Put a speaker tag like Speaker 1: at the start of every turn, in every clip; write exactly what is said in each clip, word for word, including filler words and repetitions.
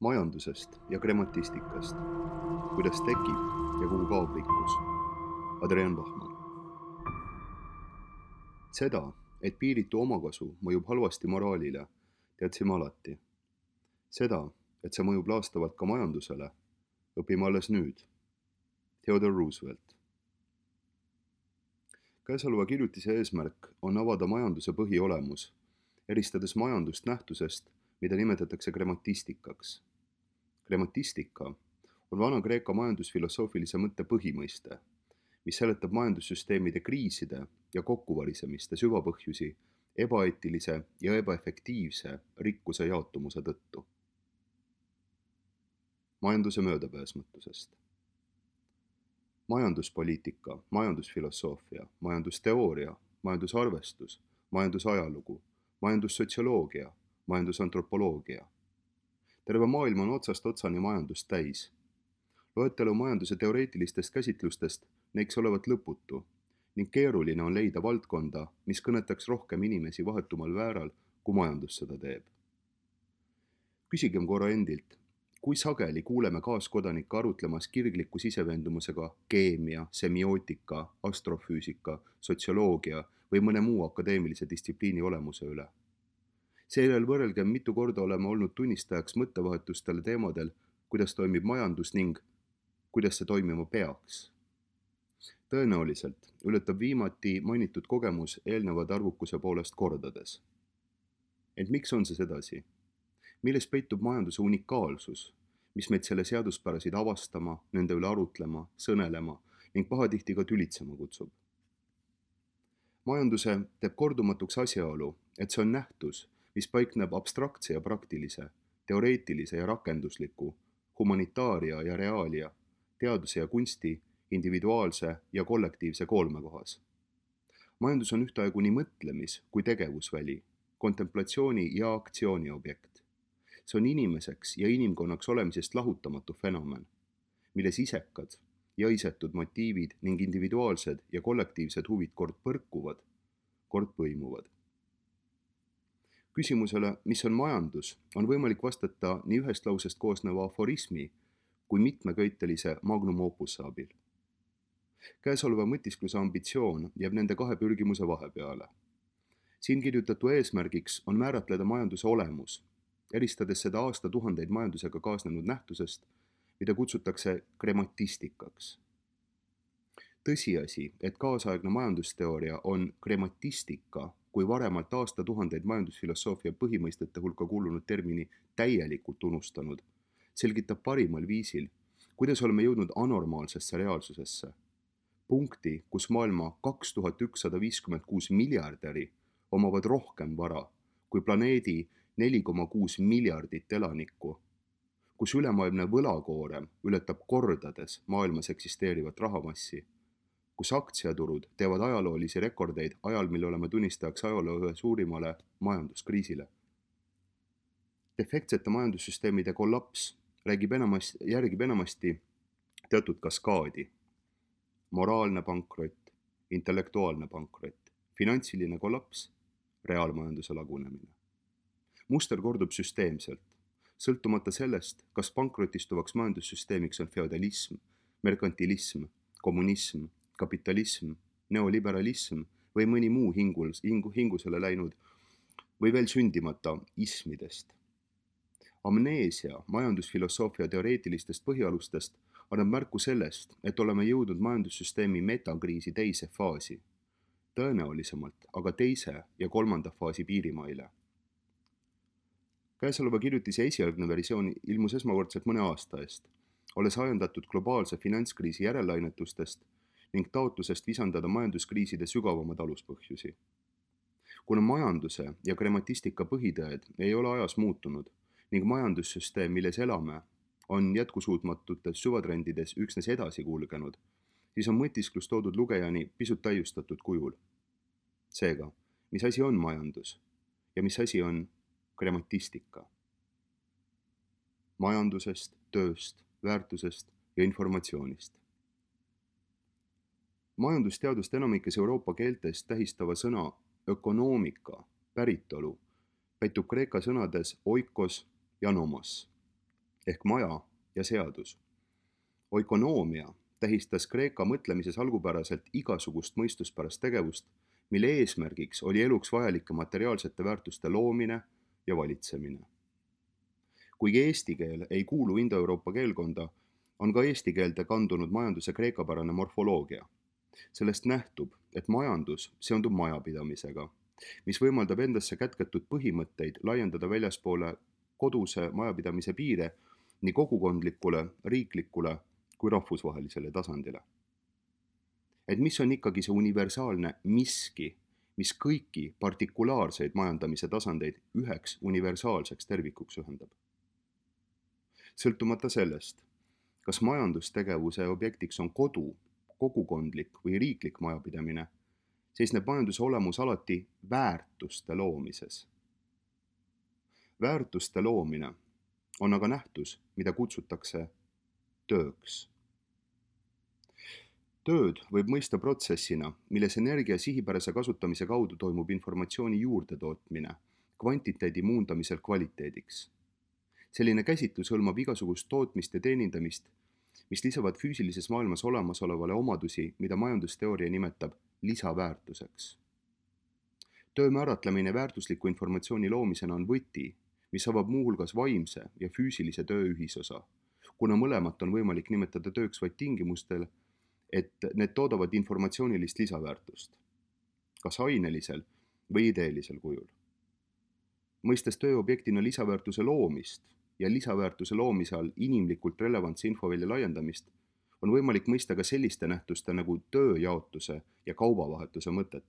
Speaker 1: Majandusest ja gramatistikast, kuidas tekib ja kuhu kaob rikkus. Adrian Bachmann. Seda, et piiritu omakasu mõjub halvasti moraalile, teadsime alati. Seda, et see mõjub laastavalt ka majandusele, õpime alles nüüd. Theodore Roosevelt. Käesoleva kirjutise eesmärk on avada majanduse põhiolemus, eristades majandust nähtusest, mida nimetatakse gramatistikaks. Gramatistika on vana-Kreeka majandusfilosoofilise mõtte põhimõiste, mis seletab majandussüsteemide kriiside ja kokkuvarisemiste süvapõhjusi ebaeetilise ja ebaefektiivse rikkuse jaotumuse tõttu. Majanduse möödapääsmatusest. Majanduspoliitika, majandusfilosoofia, majandusteooria, majandusarvestus, majandusajalugu, majandussotsioloogia, majandusantropoloogia. Terve maailm on otsast otsani majandust täis. Loetelu majanduse teoreetilistest käsitlustest näiks olevat lõputu ning keeruline on leida valdkonda, mis kõnetaks rohkem inimesi vahetumal vääral, kui majandus seda teeb. Küsigem korra endilt, kui sageli kuuleme kaaskodanikke arutlemas kirgliku siseveendumusega keemia, semiootika, astrofüüsika, sotsioloogia või mõne muu akadeemilise distsipliini olemuse üle. Seejärel võrrelgem, mitu korda oleme olnud tunnistajaks mõttevahetustele teemadel, kuidas toimib majandus ning kuidas see toimima peaks. Tõenäoliselt ületab viimati mainitud kogemus eelnevad arvukuse poolest kordades. Ent miks on see sedasi? Milles peitub majanduse unikaalsus, mis meid selle seaduspärasid avastama, nende üle arutlema, sõnelema ning pahatihti ka tülitsema kutsub? Majanduse teeb kordumatuks asjaolu, et see on nähtus, mis paikneb abstraktse ja praktilise, teoreetilise ja rakendusliku, humanitaaria ja reaalia, teaduse ja kunsti, individuaalse ja kollektiivse koolmekohas. Majandus on ühtaegu nii mõtlemis kui tegevusväli, kontemplatsiooni ja aktsiooni objekt. See on inimeseks ja inimkonnaks olemisest lahutamatu fenomen, milles isekad ja isetud motiivid ning individuaalsed ja kollektiivsed huvid kord põrkuvad, kord põimuvad. Küsimusele, mis on majandus, on võimalik vastata nii ühest lausest koosneva aforismi kui mitmeköitelise magnum opusse abil. Käesoleva mõtiskluse ambitsioon jääb nende kahe pürgimuse vahepeale. Siin kirjutatu eesmärgiks on määratleda majanduse olemus, eristades seda aastatuhandeid majandusega kaasnenud nähtusest, mida kutsutakse gramatistikaks. Tõsiasi, et kaasaegne majandusteooria on gramatistika kui varemalt aastatuhandeid majandusfilosoofia põhimõistete hulka kuulunud termini täielikult unustanud, selgitab parimal viisil, kuidas oleme jõudnud anormaalsesse reaalsusesse. Punkti, kus maailma kaks tuhat ükssada viiskümmend kuus miljardäri omavad rohkem vara kui planeedi neli koma kuus miljardit elanikku, kus ülemaailmne võlakoorem ületab kordades maailmas eksisteerivat rahamassi, kus aktsiaturud teevad ajaloolisi rekordeid ajal, mil oleme tunnistajaks ajaloo ühe suurimale majanduskriisile. Defektsete majandussüsteemide kollaps räägib enamasti, järgib enamasti teatud kaskaadi. Moraalne pankrott, intellektuaalne pankrott, finantsiline kollaps, reaalmajanduse lagunemine. Muster kordub süsteemselt, sõltumata sellest, kas pankrotistuvaks majandussüsteemiks on feodalism, merkantilism, kommunism, kapitalism, neoliberalism või mõni muu hingul, hingu, hingusele läinud või veel sündimata ismidest. Amneesia majandusfilosoofia teoreetilistest põhialustest annab märku sellest, et oleme jõudnud majandussüsteemi metakriisi teise faasi, tõenäolisemalt aga teise ja kolmanda faasi piirimaile. Käesoleva kirjutise esialgne versioon ilmus esmakordselt mõne aasta eest, olles ajendatud globaalse finantskriisi järellainetustest ning taotlusest visandada majanduskriiside sügavamad aluspõhjusi. Kuna majanduse ja gramatistika põhitõed ei ole ajas muutunud ning majandussüsteem, milles elame, on jätkusuutmatutes süvatrendides üksnes edasi kulgenud, siis on mõtisklus toodud lugejani pisut täiustatud kujul. Seega, mis asi on majandus ja mis asi on gramatistika? Majandusest, tööst, väärtusest ja informatsioonist. Majandusteadust enamikes Euroopa keeltes tähistava sõna ökonoomika päritolu peitub kreeka sõnades oikos ja nomos. ehk maja ja seadus. Oikonoomia tähistas Kreeka mõtlemises algupäraselt igasugust mõistuspärast tegevust, mille eesmärgiks oli eluks vajalike materiaalsete väärtuste loomine ja valitsemine. Kuigi eesti keel ei kuulu Indo-Euroopa keelkonda, on ka eesti keelde kandunud majanduse kreekapärane morfoloogia. Sellest nähtub, et majandus seondub majapidamisega, mis võimaldab endasse kätketud põhimõtteid laiendada väljaspoole koduse majapidamise piire nii kogukondlikule, riiklikule kui rahvusvahelisele tasandile. Et mis on ikkagi see universaalne miski, mis kõiki partikulaarseid majandamise tasandeid üheks universaalseks tervikuks ühendab. Sõltumata sellest, kas majandustegevuse objektiks on kodu, kogukondlik või riiklik majapidamine, seisneb majanduse olemus alati väärtuste loomises. Väärtuste loomine on aga nähtus, mida kutsutakse tööks. Tööd võib mõista protsessina, milles energia sihipärase kasutamise kaudu toimub informatsiooni juurdetootmine, kvantiteedi muundamisel kvaliteediks. Selline käsitlus hõlmab igasugust tootmist ja teenindamist, mis lisavad füüsilises maailmas olemasolevale omadusi, mida majandusteooria nimetab lisaväärtuseks. Töö määratlemine väärtusliku informatsiooni loomisena on võti, mis avab muuhulgas vaimse ja füüsilise töö ühisosa, kuna mõlemat on võimalik nimetada tööks vaid tingimustel, et need toodavad informatsioonilist lisaväärtust, kas ainelisel või ideelisel kujul. Mõistes tööobjektina lisaväärtuse loomist ja lisaväärtuse loomise all inimlikult relevantse infovälja laiendamist, on võimalik mõista ka selliste nähtuste nagu tööjaotuse ja kaubavahetuse mõtet.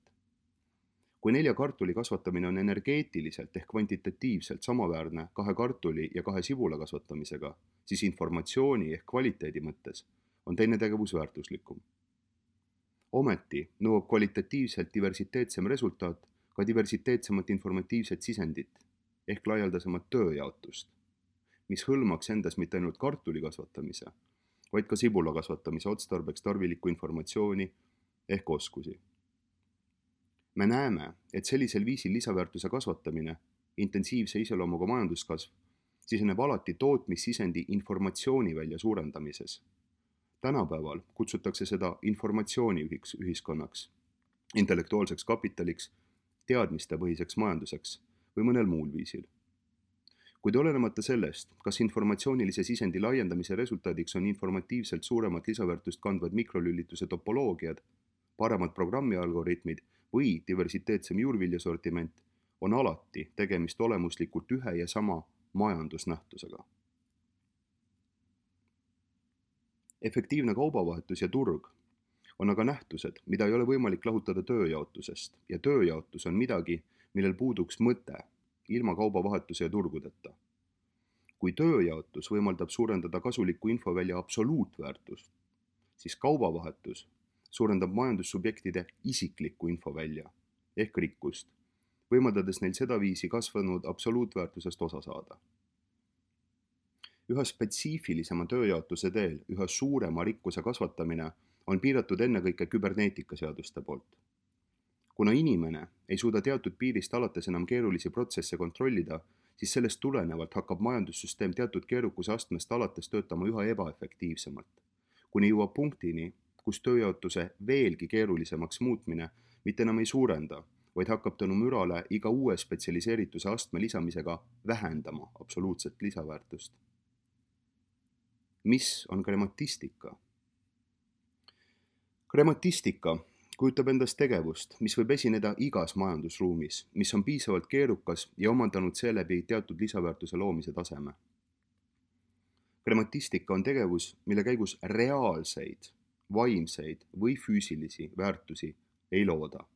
Speaker 1: Kui nelja kartuli kasvatamine on energeetiliselt ehk kvantitatiivselt samaväärne kahe kartuli ja kahe sibula kasvatamisega, siis informatsiooni ehk kvaliteedi mõttes on teine tegevus väärtuslikum. Ometi nõuab kvalitatiivselt diversiteetsem resultaat ka diversiteetsemat informatiivset sisendit ehk laialdasemat tööjaotust, mis hõlmaks endas mitte ainult kartuli kasvatamise, vaid ka sibula kasvatamise otstarbeks tarvilikku informatsiooni ehk oskusi. Me näeme, et sellisel viisil lisaväärtuse kasvatamine, intensiivse iseloomuga majanduskasv, siseneb alati tootmissisendi informatsiooni välja suurendamises. Tänapäeval kutsutakse seda informatsiooniühiks ühiskonnaks, intellektuaalseks kapitaliks, teadmistepõhiseks majanduseks või mõnel muul viisil. Kuid olenemata sellest, kas informatsioonilise sisendi laiendamise resultaadiks on informatiivselt suuremat lisaväärtust kandvad mikrolülituse topoloogiad, paremad programmialgoritmid või diversiteetsem juurviljasortiment, on alati tegemist olemuslikult ühe ja sama majandusnähtusega. Efektiivne kaubavahetus ja turg on aga nähtused, mida ei ole võimalik lahutada tööjaotusest ja tööjaotus on midagi, millel puuduks mõte ilma kaubavahetuse ja turgudeta. Kui tööjaotus võimaldab suurendada kasuliku infovälja absoluutväärtust, siis kaubavahetus suurendab majandussubjektide isiklikku infovälja ehk rikkust, võimaldades neil sedaviisi kasvanud absoluutväärtusest osa saada. Üha spetsiifilisema tööjaotuse teel üha suurema rikkuse kasvatamine on piiratud ennekõike küberneetikaseaduste poolt. Kuna inimene ei suuda teatud piirist alates enam keerulisi protsesse kontrollida, siis sellest tulenevalt hakkab majandussüsteem teatud keerukuse astmest alates töötama üha ebaefektiivsemalt, kuni jõuab punktini, kus tööjaotuse veelgi keerulisemaks muutmine mitte enam ei suurenda, vaid hakkab tänu mürale iga uue spetsialiseerituse astme lisamisega vähendama absoluutset lisaväärtust. Mis on krematistika? Krematistika kujutab endast tegevust, mis võib esineda igas majandusruumis, mis on piisavalt keerukas ja omandanud seeläbi teatud lisaväärtuse loomise taseme. Krematistika on tegevus, mille käigus reaalseid, vaimseid või füüsilisi väärtusi ei looda,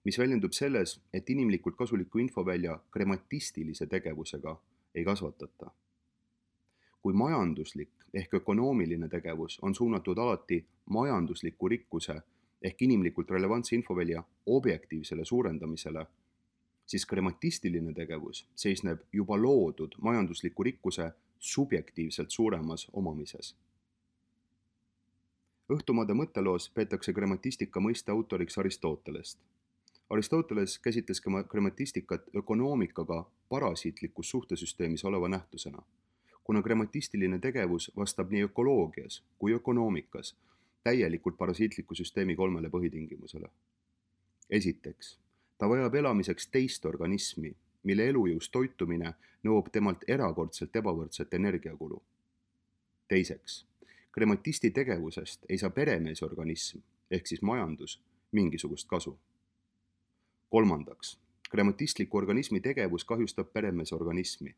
Speaker 1: mis väljendub selles, et inimlikult kasuliku infovälja krematistilise tegevusega ei kasvatata. Kui majanduslik ehk ökonoomiline tegevus on suunatud alati majandusliku rikkuse ehk inimlikult relevantse infovälja objektiivsele suurendamisele, siis krematistiline tegevus seisneb juba loodud majandusliku rikkuse subjektiivselt suuremas omamises. Õhtumaade mõtteloos peetakse krematistika mõiste autoriks Aristotelest. Aristoteles käsitles krematistikat ökonoomikaga parasiitlikus suhtesüsteemis oleva nähtusena, kuna gramatistiline tegevus vastab nii ökoloogias kui ökonoomikas täielikult parasiitliku süsteemi kolmele põhitingimusele. Esiteks, ta vajab elamiseks teist organismi, mille elujõus toitumine nõuab temalt erakordselt ebavõrdset energiakulu. Teiseks, gramatisti tegevusest ei saa peremeesorganism ehk siis majandus mingisugust kasu. Kolmandaks, grammatistliku organismi tegevus kahjustab peremeesorganismi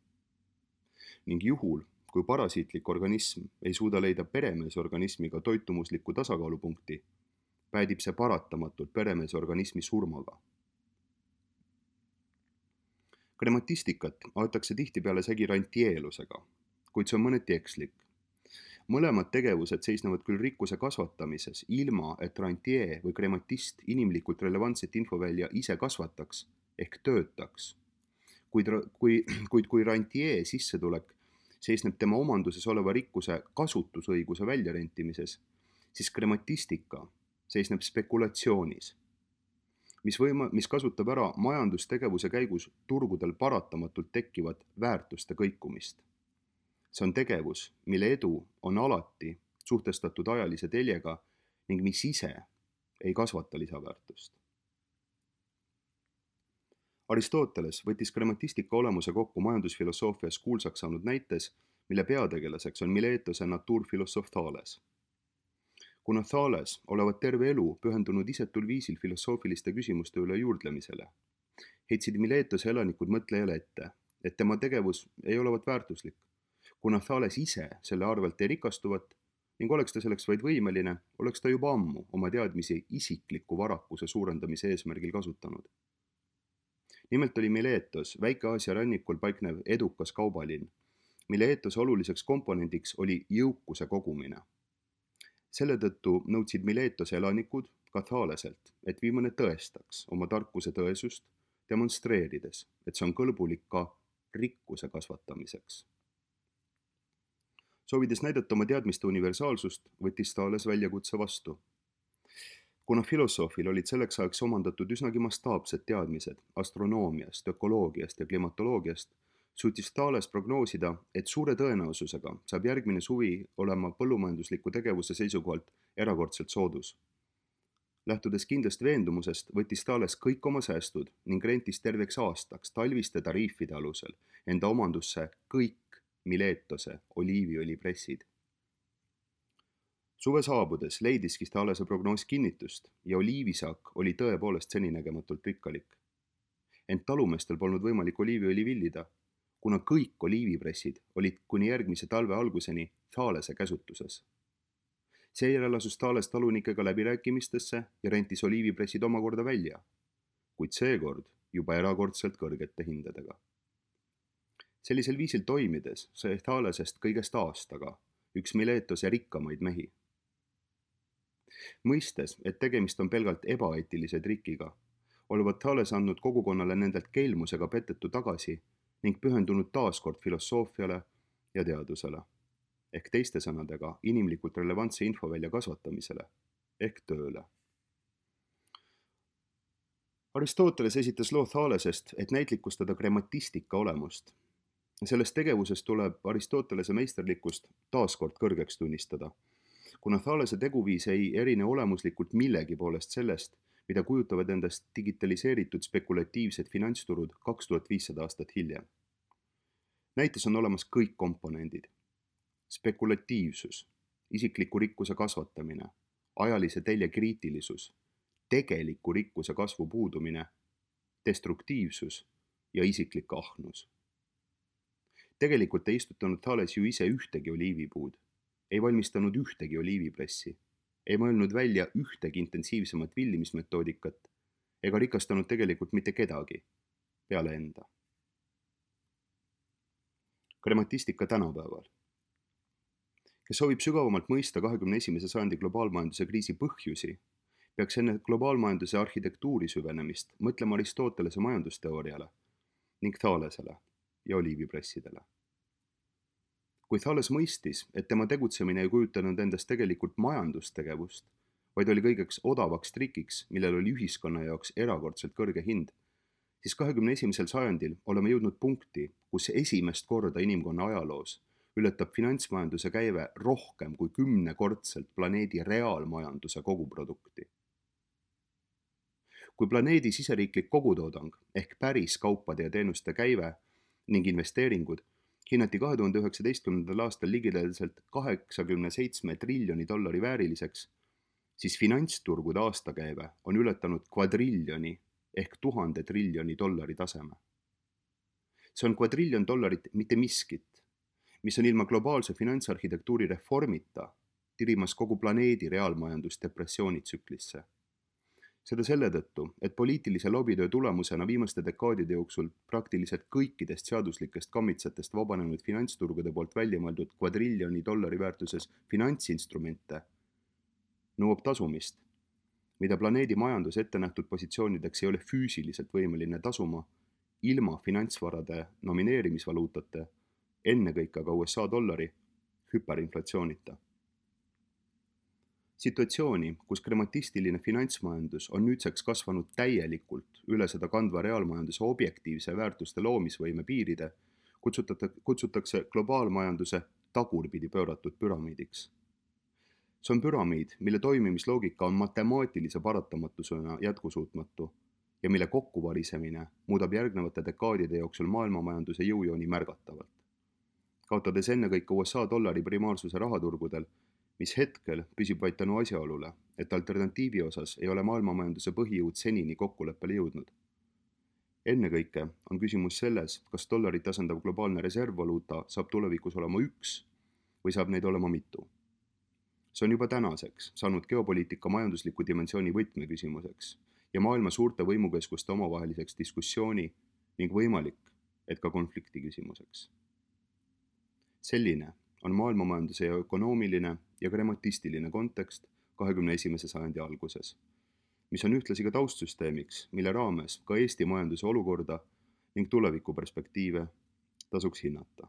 Speaker 1: ning juhul, kui parasiitlik organism ei suuda leida peremeesorganismiga toitumuslikku tasakaalupunkti, päädib see paratamatult peremeesorganismi surmaga. Grammatistikat aetakse tihtipeale segi rantieelusega, kuid see on mõneti ekslik. Mõlemad tegevused seisnevad küll rikkuse kasvatamises, ilma et rantie või grammatist inimlikult relevantset infovälja ise kasvataks ehk töötaks. Kuid, kui, kuid kui rantie sissetulek seisneb tema omanduses oleva rikkuse kasutusõiguse väljarentimises, siis grammatistika seisneb spekulatsioonis, mis, võima, mis kasutab ära majandustegevuse käigus turgudel paratamatult tekkivat väärtuste kõikumist. See on tegevus, mille edu on alati suhtestatud ajalise teljega ning mis ise ei kasvata lisaväärtust. Aristoteles võttis grammatistika olemuse kokku majandusfilosoofias kuulsaks saanud näites, mille peategelaseks on Miletose naturfilosoof Thales. Kuna Thales olevat terve elu pühendunud isetul viisil filosoofiliste küsimuste üle juurdlemisele, heitsid Miletose elanikud mõtlejale ette, et tema tegevus ei olevat väärtuslik, kuna Thales ise selle arvelt ei rikastuvat ning oleks ta selleks vaid võimeline, oleks ta juba ammu oma teadmisi isikliku varakuse suurendamise eesmärgil kasutanud. Nimelt oli Miletos Väike-Aasia rannikul paiknev edukas kaubalinn, mille eetose oluliseks komponendiks oli jõukuse kogumine. Selle tõttu nõudsid Miletose elanikud ka Thaleselt, et viimane tõestaks oma tarkuse tõesust, demonstreerides, et see on kõlbulik ka rikkuse kasvatamiseks. Soovides näidata oma teadmiste universaalsust, võttis Thales väljakutse vastu. Kuna filosoofil olid selleks ajaks omandatud üsnagi mastaapsed teadmised astronoomiast, ökoloogiast ja klimatoloogiast, suutis Thales prognoosida, et suure tõenäosusega saab järgmine suvi olema põllumajandusliku tegevuse seisukohalt erakordselt soodus. Lähtudes kindlast veendumusest, võttis Thales kõik oma säästud ning rentis terveks aastaks talviste tariifide alusel enda omandusse kõik Miletose oliiviõlipressid. Suve saabudes leidiski Thalese prognoos kinnitust ja oliivisaak oli tõepoolest seninägematult rikkalik. Ent talumeestel polnud võimalik oliiviõli villida, kuna kõik oliivipressid olid kuni järgmise talve alguseni Thalese käsutuses. Seejärel asus Thales talunikega läbirääkimistesse ja rentis oliivipressid omakorda välja, kuid seekord juba erakordselt kõrgete hindadega. Sellisel viisil toimides sai Thalesest kõigest aastaga üks Miletose rikkamaid mehi. Mõistes, et tegemist on pelgalt ebaeetilise trikiga, olevat Thales andnud kogukonnale nendelt keelmusega petetu tagasi ning pühendunud taaskord filosoofiale ja teadusele, ehk teiste sõnadega inimlikult relevantse infovälja kasvatamisele, ehk tööle. Aristoteles esitas loo Thalesest, et näitlikustada grammatistika olemust. Sellest tegevusest tuleb Aristotelese meisterlikkust taaskord kõrgeks tunnistada, kuna Thalese teguviis ei erine olemuslikult millegi poolest sellest, mida kujutavad endast digitaliseeritud spekulatiivsed finantsturud kaks tuhat viissada aastat hiljem. Näites on olemas kõik komponendid. Spekulatiivsus, isikliku rikkuse kasvatamine, ajalise telje kriitilisus, tegeliku rikkuse kasvu puudumine, destruktiivsus ja isiklik ahnus. Tegelikult ei istutanud Thales ju ise ühtegi oliivipuud, ei valmistanud ühtegi oliivipressi, ei mõelnud välja ühtegi intensiivsemat villimismetoodikat ega rikastanud tegelikult mitte kedagi peale enda. Grammatistika tänapäeval. Kes soovib sügavamalt mõista kahekümne esimese sajandi globaalmajanduse kriisi põhjusi, peaks enne globaalmajanduse arhitektuuri süvenemist mõtlema Aristotelese majandusteooriale ning Thalesele ja oliivipressidele. Kui Thales mõistis, et tema tegutsemine ei kujutanud endast tegelikult majandustegevust, vaid oli kõigeks odavaks trikiks, millel oli ühiskonna jaoks erakordselt kõrge hind, siis kahekümne esimesel sajandil oleme jõudnud punkti, kus esimest korda inimkonna ajaloos ületab finantsmajanduse käive rohkem kui kümnekordselt planeedi reaalmajanduse koguprodukti. Kui planeedi siseriiklik kogutoodang ehk päris kaupade ja teenuste käive ning investeeringud hinnati kahe tuhande üheksateistkümnendal aastal ligilähedaselt kaheksakümne seitsme triljoni dollari vääriliseks, siis finantsturgude aastakäive on ületanud kvadriljoni ehk tuhande triljoni dollari taseme. See on kvadriljon dollarit mitte miskit, mis on ilma globaalse finantsarhitektuuri reformita tirimas kogu planeedi reaalmajandust depressioonitsüklisse. Seda selle tõttu, et poliitilise lobitöö tulemusena viimaste dekaadide jooksul praktiliselt kõikidest seaduslikest kammitsetest vabanenud finantsturgude poolt välja mõeldud kvadriljoni dollari väärtuses finantsinstrumente nõuab tasumist, mida planeedi majandus ette nähtud positsioonideks ei ole füüsiliselt võimeline tasuma ilma finantsvarade nomineerimisvaluutate, ennekõike aga U S A dollari, hüperinflatsioonita. Situatsiooni, kus krematistiline finantsmajandus on nüüdseks kasvanud täielikult üle seda kandva reaalmajanduse objektiivse väärtuste loomisvõime piiride, kutsutakse globaalmajanduse tagurpidi pööratud püramiidiks. See on püramiid, mille toimimisloogika on matemaatilise paratamatusena jätkusuutmatu ja mille kokkuvarisemine muudab järgnevate dekaadide jooksul maailmamajanduse jõujooni märgatavalt. Kaotades ennekõike U S A dollari primaarsuse rahaturgudel, mis hetkel püsib vaid tänu asjaolule, et alternatiivi osas ei ole maailmamajanduse põhijõud senini kokkuleppele jõudnud. Ennekõike on küsimus selles, kas dollarit asendav globaalne reservvaluuta saab tulevikus olema üks või saab neid olema mitu. See on juba tänaseks saanud geopoliitika majandusliku dimensiooni võtmeküsimuseks ja maailma suurte võimukeskuste omavaheliseks diskussiooni ning võimalik, et ka konflikti küsimuseks. Selline on maailmamajanduse ja ökonoomiline ja krematistiline kontekst kahekümne esimese sajandi alguses, mis on ühtlasi ka taustsüsteemiks, mille raames ka Eesti majanduse olukorda ning tulevikuperspektiive tasuks hinnata.